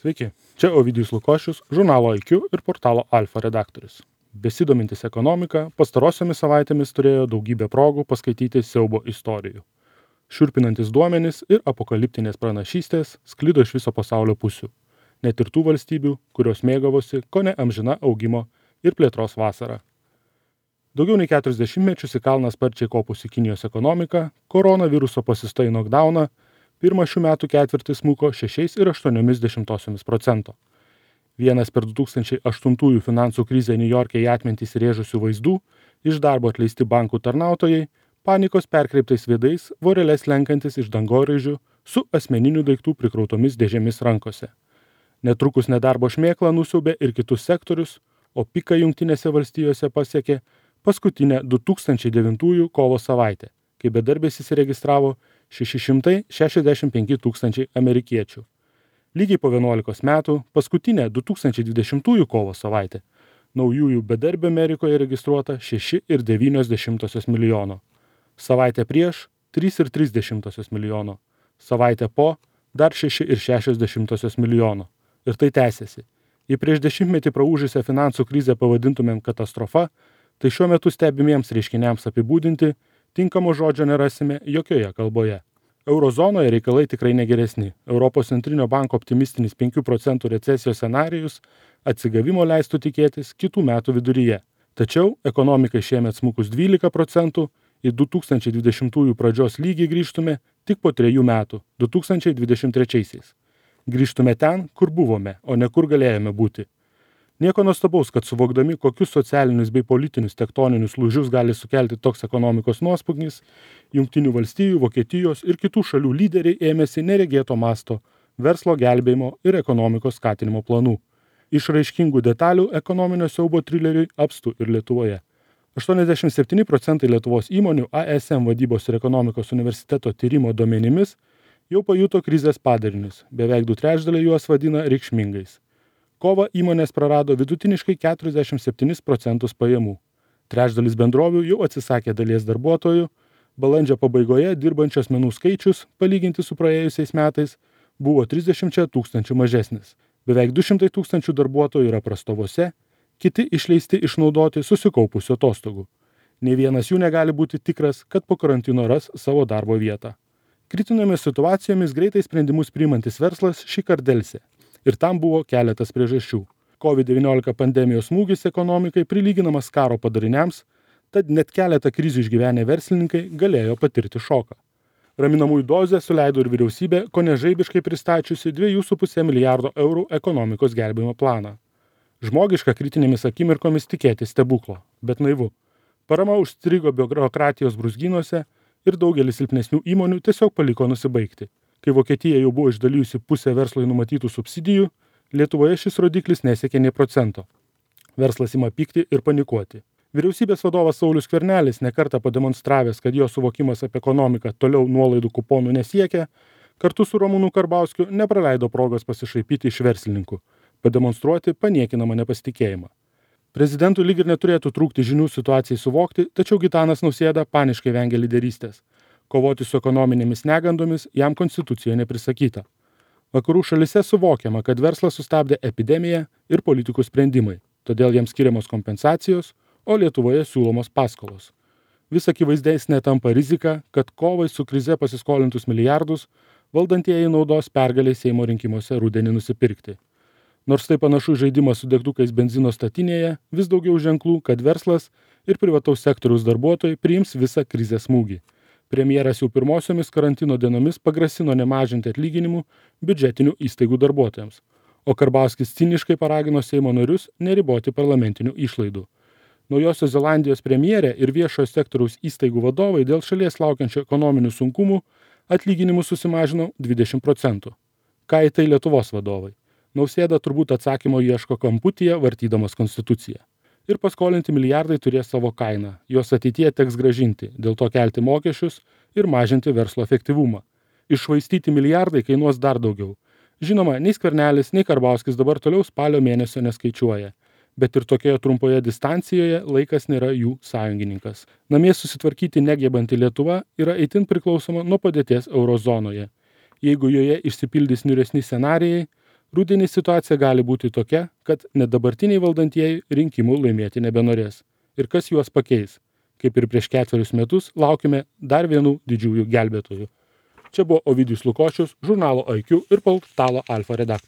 Sveiki, čia Ovidijus Lukošius, žurnalo IQ ir portalo Alfa redaktorius. Besidomintis ekonomika, pastarosiomis savaitėmis turėjo daugybę progų paskaityti siaubo istorijų. Šiurpinantis duomenys ir apokaliptinės pranašystės sklido iš viso pasaulio pusių. Net ir tų valstybių, kurios mėgavosi kone amžina augimo ir plėtros vasara. Daugiau nei 40 mečius į kalną sparčiai kopusi Kinijos ekonomika, koronaviruso pasista į knockdowną, pirmą šių metų ketvirtį smuko 6,8%. Vienas per 2008 finansų krizę Niujorke į atmintį įsirėžusių vaizdų, iš darbo atleisti bankų tarnautojai, panikos perkreiptais veidais, voreles lenkantis iš dangoraižių su asmeninių daiktų prikrautomis dėžėmis rankose. Netrukus nedarbo šmėklą nusiaubė ir kitus sektorius, o piką Jungtinėse valstijose pasiekė paskutinę 2009 kovo savaitę, kai bedarbės įsiregistravo 665 tūkstančiai amerikiečių. Lygiai po 11 metų, paskutinę 2020 kovo savaitę, naujųjų bedarbių Amerikoje registruota 6,9 milijono. Savaitę prieš 3,3 milijono. Savaitę po dar 6,6 milijono. Ir tai tęsiasi. Jei prieš dešimtmetį praūžusią finansų krizę pavadintumėm katastrofa, tai šiuo metu stebimiems reiškiniams apibūdinti tinkamo žodžio nerasime jokioje kalboje. Eurozonoje reikalai tikrai negeresni. Europos centrinio banko optimistinis 5% recesijos scenarijus atsigavimo leistų tikėtis kitų metų viduryje. Tačiau ekonomikai šiemet smukus 12%, į 2020 pradžios lygį grįžtume tik po 3 metų, 2023. Grįžtume ten, kur buvome, o ne kur galėjome būti. Nieko nuostabaus, kad suvokdami, kokius socialinius bei politinius tektoninius lūžius gali sukelti toks ekonomikos nuosmukis, Jungtinių valstijų, Vokietijos ir kitų šalių lyderiai ėmėsi neregėto masto verslo gelbėjimo ir ekonomikos skatinimo planų. Išraiškingų detalių ekonominio siaubo trileriui apstu ir Lietuvoje. 87% Lietuvos įmonių ASM vadybos ir ekonomikos universiteto tyrimo duomenimis jau pajuto krizės padarinius, beveik 2/3 juos vadina reikšmingais. Kovą įmonės prarado vidutiniškai 47% pajamų. Trečdalis bendrovių jau atsisakė dalies darbuotojų, balandžio pabaigoje dirbančių asmenų skaičius, palyginti su praėjusiais metais, buvo 30 tūkstančių mažesnis. Beveik 200 tūkstančių darbuotojų yra prastovose, kiti išleisti išnaudoti susikaupusių atostogų. Nei vienas jų negali būti tikras, kad po karantino ras savo darbo vietą. Kritinėmis situacijomis greitai sprendimus priimantis verslas šįkart delsė. Ir tam buvo keletas priežasčių. COVID-19 pandemijos smūgis ekonomikai prilyginamas karo padariniams, tad net keletą krizių išgyvenę verslininkai galėjo patirti šoką. Raminamųjų dozę suleido ir vyriausybė, kone žaibiškai pristačiusi 2,5 milijardo eurų ekonomikos gelbėjimo planą. Žmogiška kritinėmis akimirkomis tikėti stebuklo, bet naivu. Parama užstrigo biurokratijos brūzgynuose ir daugelis silpnesnių įmonių tiesiog paliko nusibaigti. Kai Vokietija jau buvo išdalijusi pusę verslui numatytų subsidijų, Lietuvoje šis rodiklis nesiekė nei procento. Verslas ima pykti ir panikuoti. Vyriausybės vadovas Saulius Skvernelis nekartą pademonstravęs, kad jo suvokimas apie ekonomiką toliau nuolaidų kuponų nesiekia, kartu su Ramūnu Karbauskiu nepraleido progos pasišaipyti iš verslininkų, pademonstruoti paniekinamą nepasitikėjimą. Prezidentui lyg ir neturėtų trūkti žinių situacijai suvokti, tačiau Gitanas Nausėda paniškai vengia lyderystės. Kovoti su ekonominėmis negandomis jam konstitucijoje neprisakyta. Vakarų šalise suvokiama, kad verslas sustabdė epidemiją ir politikų sprendimai, todėl jiems skiriamos kompensacijos, o Lietuvoje siūlomos paskolos. Vis akivaizdesnė tampa rizika, kad kovai su krize pasiskolintus milijardus valdantieji naudos pergaliai Seimo rinkimuose rudenį nusipirkti. Nors tai panašu žaidimas su degtukais benzino statinėje, vis daugiau ženklų, kad verslas ir privataus sektoriaus darbuotojai priims visą krizės smūgį. Premjeras jau pirmosiomis karantino dienomis pagrasino nemažinti atlyginimų biudžetinių įstaigų darbuotojams, o Karbauskis ciniškai paragino Seimo narius neriboti parlamentinių išlaidų. Naujosios Zelandijos premjerė ir viešojo sektoriaus įstaigų vadovai dėl šalies laukiančių ekonominių sunkumų atlyginimus susimažino 20%. Ką į tai Lietuvos vadovai? Nausėda turbūt atsakymo ieško kamputyje, vartydamas konstituciją. Ir paskolinti milijardai turės savo kainą, juos ateityje teks grąžinti, dėl to kelti mokesčius ir mažinti verslo efektyvumą. Iššvaistyti milijardai kainuos dar daugiau. Žinoma, nei Skvernelis, nei Karbauskis dabar toliau spalio mėnesio neskaičiuoja, bet ir tokioje trumpoje distancijoje laikas nėra jų sąjungininkas. Namie susitvarkyti negebanti Lietuva yra itin priklausoma nuo padėties eurozonoje. Jeigu joje išsipildys niūresni scenarijai, Rudenį situacija gali būti tokia, kad net dabartiniai valdantieji rinkimų laimėti nebenorės. Ir kas juos pakeis? Kaip ir prieš 4 metus laukime dar vienų didžiųjų gelbėtojų. Čia buvo Ovidijus Lukošius, žurnalo IQ ir portalo Alfa redaktorius.